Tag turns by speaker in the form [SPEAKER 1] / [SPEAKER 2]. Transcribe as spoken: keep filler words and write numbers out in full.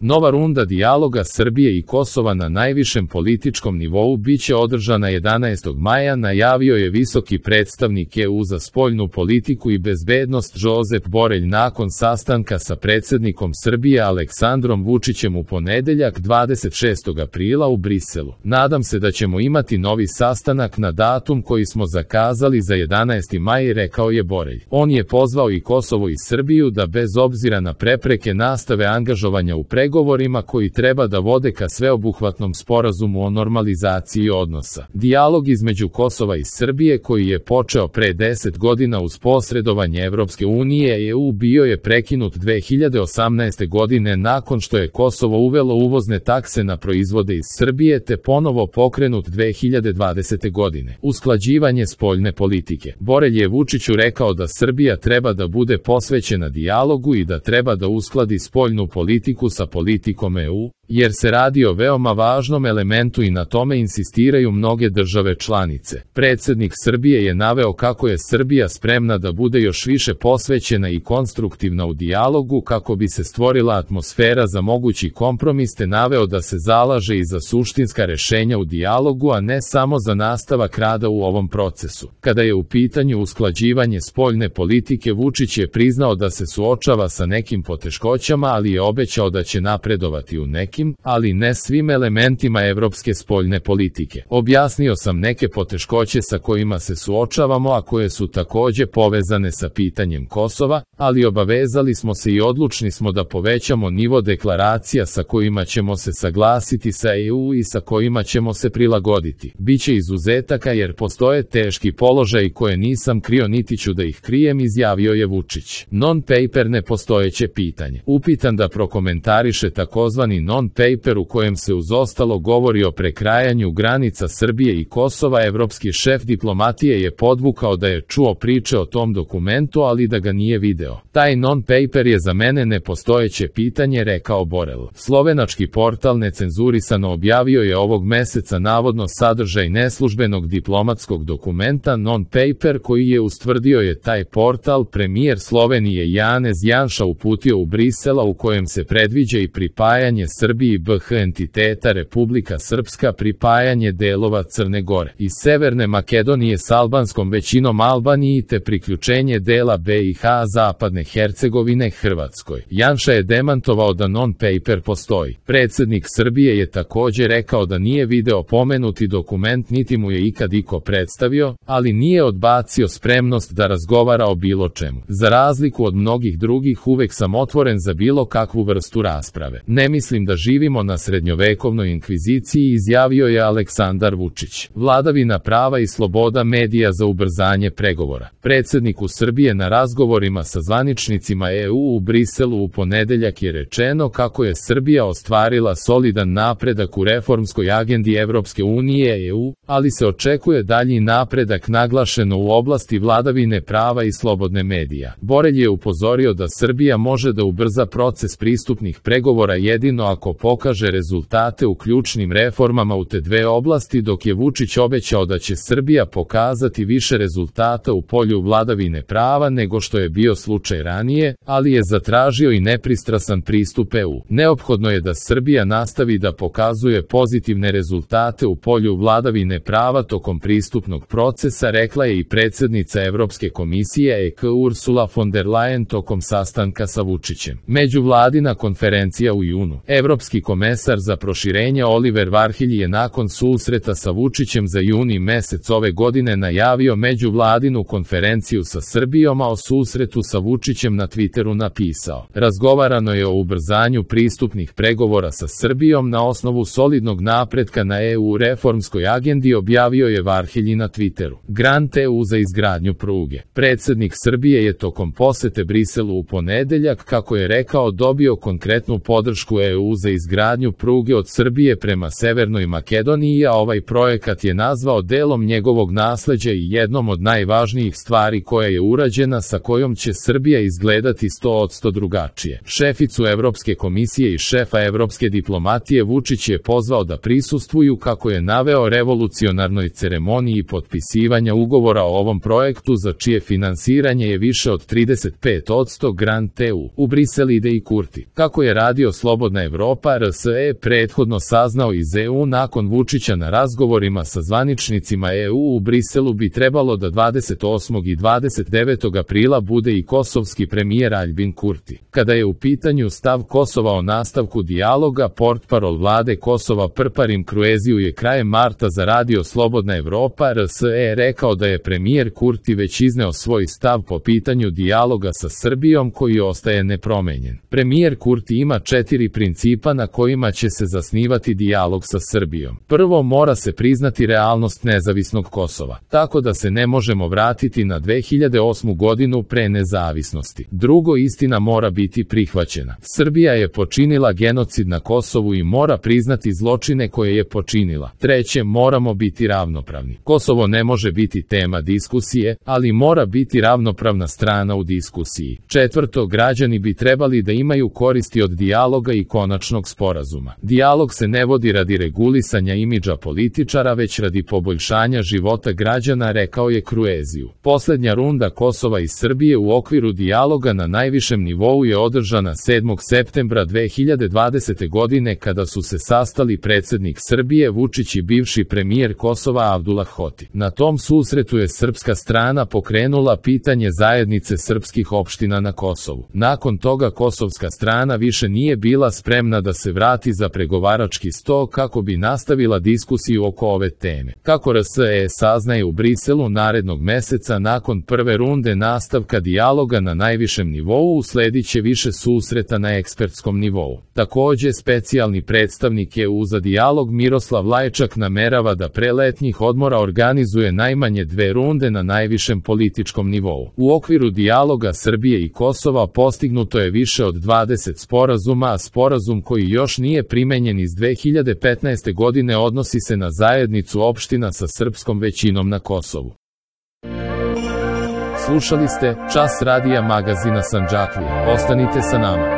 [SPEAKER 1] Nova runda dijaloga Srbije i Kosova na najvišem političkom nivou biće održana jedanaestog maja, najavio je visoki predstavnik E U za spoljnu politiku i bezbednost Josep Borelj nakon sastanka sa predsjednikom Srbije Aleksandrom Vučićem u ponedeljak dvadeset šestog aprila u Briselu. Nadam se da ćemo imati novi sastanak na datum koji smo zakazali za jedanaesti maj, rekao je Borelj. On je pozvao i Kosovo i Srbiju da bez obzira na prepreke nastave angažovanja u pregovorima koji treba da vode ka sveobuhvatnom sporazumu o normalizaciji odnosa. Dijalog između Kosova i Srbije koji je počeo pre deset godina uz posredovanje Evropske unije i E U bio je prekinut dve hiljade osamnaeste. godine nakon što je Kosovo uvelo uvozne takse na proizvode iz Srbije te ponovo pokrenut dve hiljade dvadesete. godine. Usklađivanje spoljne politike. Borelj je Vučiću rekao da Srbija treba da bude posvećena dijalogu i da treba da uskladi spoljnu politiku sa politikom E U, jer se radi o veoma važnom elementu i na tome insistiraju mnoge države članice. Predsjednik Srbije je naveo kako je Srbija spremna da bude još više posvećena i konstruktivna u dijalogu kako bi se stvorila atmosfera za mogući kompromis te naveo da se zalaže i za suštinska rešenja u dijalogu, a ne samo za nastavak rada u ovom procesu. Kada je u pitanju usklađivanje spoljne politike, Vučić je priznao da se suočava sa nekim poteškoćama, ali je obećao da će napredovati u nekim, ali ne svim elementima evropske spoljne politike. Objasnio sam neke poteškoće sa kojima se suočavamo, a koje su takođe povezane sa pitanjem Kosova, ali obavezali smo se i odlučni smo da povećamo nivo deklaracija sa kojima ćemo se saglasiti sa E U i sa kojima ćemo se prilagoditi. Biće izuzetaka jer postoje teški položaji koje nisam krio niti ću da ih krijem, izjavio je Vučić. Non-paper nepostojeće pitanje. Upitan da prokomentariše takozvani non-paper u kojem se uz ostalo govori o prekrajanju granica Srbije i Kosova, evropski šef diplomatije je podvukao da je čuo priče o tom dokumentu, ali da ga nije video. Taj non-paper je za mene nepostojeće pitanje, rekao Borelj. Slovenački portal Necenzurisano objavio je ovog meseca navodno sadržaj neslužbenog diplomatskog dokumenta non-paper koji je ustvrdio je taj portal premijer Slovenije Janez Janša uputio u Brisela, u kojem se predviđa i pripajanje Srbiji B H entiteta Republika Srpska, pripajanje delova Crne Gore i Severne Makedonije s albanskom većinom Albaniji te priključenje dela B i H Zapadne Hercegovine Hrvatskoj. Janša je demantovao da non-paper postoji. Predsjednik Srbije je takođe rekao da nije video pomenuti dokument niti mu je ikad iko predstavio, ali nije odbacio spremnost da razgovara o bilo čemu. Za razliku od mnogih drugih, uvek sam otvoren za bilo kakvu vrstu rasprave. Ne mislim da živimo na srednjovekovnoj inkviziciji, izjavio je Aleksandar Vučić. Vladavina prava i sloboda medija za ubrzanje pregovora. Predsjedniku Srbije na razgovorima sa zvaničnicima E U u Briselu u ponedeljak je rečeno kako je Srbija ostvarila solidan napredak u reformskoj agendi Evropske unije E U, ali se očekuje dalji napredak naglašeno u oblasti vladavine prava i slobodne medija. Borelj je upozorio da Srbija može da ubrza proces pristupnih pregovora jedino ako pokaže rezultate u ključnim reformama u te dve oblasti, dok je Vučić obećao da će Srbija pokazati više rezultata u polju vladavine prava nego što je bio slučaj ranije, ali je zatražio i nepristrasan pristup E U. Neophodno je da Srbija nastavi da pokazuje pozitivne rezultate u polju vladavine prava tokom pristupnog procesa, rekla je i predsjednica Evropske komisije E K Ursula von der Leyen tokom sastanka sa Vučićem. Međuvladina konferencija u junu. Evropski komesar za proširenje Oliver Varhelj je nakon susreta sa Vučićem za juni mesec ove godine najavio međuvladinu konferenciju sa Srbijom, a o susretu sa Vučićem na Twitteru napisao: razgovarano je o ubrzanju pristupnih pregovora sa Srbijom na osnovu solidnog napretka na E U reformskoj agendi, objavio je Varhelj na Twitteru. Grant E U za izgradnju pruge. Predsjednik Srbije je tokom posete Briselu u ponedeljak, kako je rekao, dobio konkretnu podršku E U za za izgradnju pruge od Srbije prema Severnoj Makedoniji, a ovaj projekat je nazvao delom njegovog nasleđa i jednom od najvažnijih stvari koja je urađena, sa kojom će Srbija izgledati sto posto drugačije. Šeficu Evropske komisije i šefa evropske diplomatije Vučić je pozvao da prisustvuju, kako je naveo, revolucionarnoj ceremoniji potpisivanja ugovora o ovom projektu, za čije finansiranje je više od trideset pet posto grant E U. U Brisel ide i Kurti. Kako je radio Slobodna Evropa, R S E prethodno saznao iz E U, nakon Vučića na razgovorima sa zvaničnicima E U u Briselu bi trebalo da dvadeset osmog i dvadeset devetog aprila bude i kosovski premijer Aljbin Kurti. Kada je u pitanju stav Kosova o nastavku dijaloga, portparol vlade Kosova Prparim Krueziju je krajem marta za radio Slobodna Evropa R S E rekao da je premijer Kurti već izneo svoj stav po pitanju dijaloga sa Srbijom, koji ostaje nepromenjen. Premijer Kurti ima četiri principa na kojima će se zasnivati dijalog sa Srbijom. Prvo, mora se priznati realnost nezavisnog Kosova, tako da se ne možemo vratiti na dve hiljade osmu godinu pre nezavisnosti. Drugo, istina mora biti prihvaćena. Srbija je počinila genocid na Kosovu i mora priznati zločine koje je počinila. Treće, moramo biti ravnopravni. Kosovo ne može biti tema diskusije, ali mora biti ravnopravna strana u diskusiji. Četvrto, građani bi trebali da imaju koristi od dijaloga i konačnog sporazuma. Dijalog se ne vodi radi regulisanja imidža političara, već radi poboljšanja života građana, rekao je Krueziju. Poslednja runda Kosova i Srbije u okviru dijaloga na najvišem nivou je održana sedmog septembra dve hiljade dvadesete godine, kada su se sastali predsednik Srbije Vučić i bivši premijer Kosova Abdullah Hoti. Na tom susretu je srpska strana pokrenula pitanje zajednice srpskih opština na Kosovu. Nakon toga kosovska strana više nije bila spremna da se vrati za pregovarački sto kako bi nastavila diskusiju oko ove teme. Kako R S E saznaje u Briselu, narednog meseca nakon prve runde nastavka dijaloga na najvišem nivou usledit će više susreta na ekspertskom nivou. Takođe, specijalni predstavnik E U za dijalog Miroslav Lajčak namerava da pre letnjih odmora organizuje najmanje dve runde na najvišem političkom nivou. U okviru dijaloga Srbije i Kosova postignuto je više od dvadeset sporazuma, a sporazum koji još nije primenjen iz dve hiljade petnaeste godine odnosi se na zajednicu opština sa srpskom većinom na Kosovu. Slušali ste Čas radija magazina Sandžaklija. Ostanite sa nama.